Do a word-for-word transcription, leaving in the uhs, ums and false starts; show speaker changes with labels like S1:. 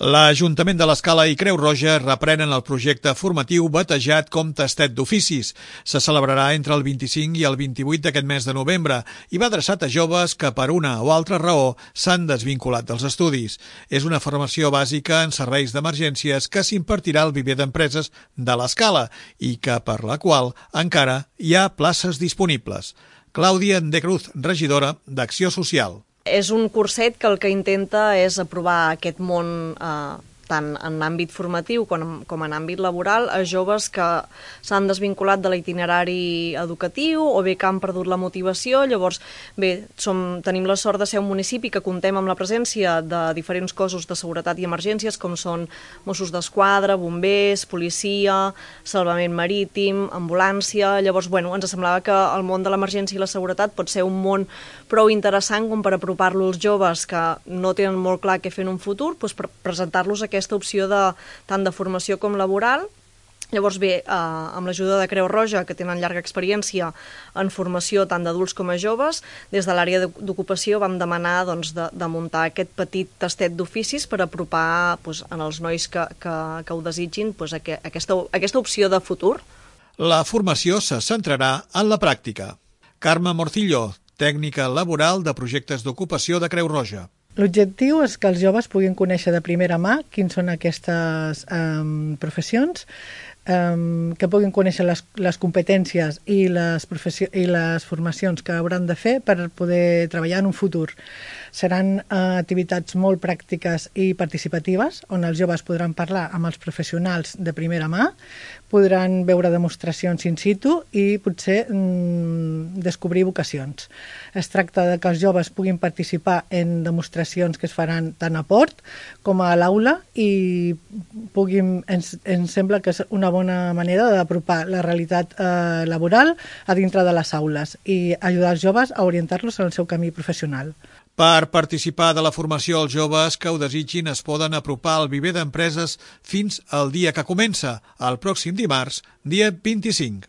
S1: L'Ajuntament de l'Escala i Creu Roja reprenen el projecte formatiu batejat com Tastet d'Oficis. Se celebrarà entre el vint-i-cinc i el vint-i-vuit d'aquest mes de novembre i va adreçat a joves que per una o altra raó s'han desvinculat dels estudis. És una formació bàsica en serveis d'emergències que s'impartirà al viver d'empreses de l'Escala i que per la qual encara hi ha places disponibles. Clàudia de Cruz, regidora d'Acció Social.
S2: És un curset que el que intenta és aprovar aquest món eh, tant en àmbit formatiu com, com en àmbit laboral a joves que s'han desvinculat de l'itinerari educatiu o bé que han perdut la motivació. Llavors, bé, som, tenim la sort de ser un municipi que contem amb la presència de diferents cossos de seguretat i emergències com són Mossos d'Esquadra, bombers, policia, salvament marítim, ambulància. Llavors, bueno, ens semblava que el món de l'emergència i la seguretat pot ser un món prou interessant com per apropar-lo als joves que no tenen molt clar què fer en un futur, doncs per presentar-los aquesta opció de, tant de formació com laboral. Llavors bé, eh, amb l'ajuda de Creu Roja, que tenen llarga experiència en formació tant d'adults com a joves, des de l'àrea d'ocupació vam demanar doncs, de, de muntar aquest petit tastet d'oficis per apropar doncs, en els nois que, que, que ho desitgin doncs, aquesta, aquesta opció de futur.
S1: La formació se centrarà en la pràctica. Carme Morcillo, tècnica laboral de projectes d'ocupació de Creu Roja.
S3: L'objectiu és que els joves puguin conèixer de primera mà quins són aquestes um, professions, um, que puguin conèixer les, les competències i les, i les formacions que hauran de fer per poder treballar en un futur. Seran uh, activitats molt pràctiques i participatives, on els joves podran parlar amb els professionals de primera mà, podran veure demostracions in situ i potser mm, descobrir vocacions. Es tracta de que els joves puguin participar en demostracions que es faran tant a port com a l'aula i puguin, ens, ens sembla que és una bona manera d'apropar la realitat eh, laboral a dintre de les aules i ajudar els joves a orientar-los en el seu camí professional.
S1: Per participar de la formació, els joves que ho desitgin es poden apropar al viver d'empreses fins al dia que comença, el pròxim dimarts, dia vint-i-cinc.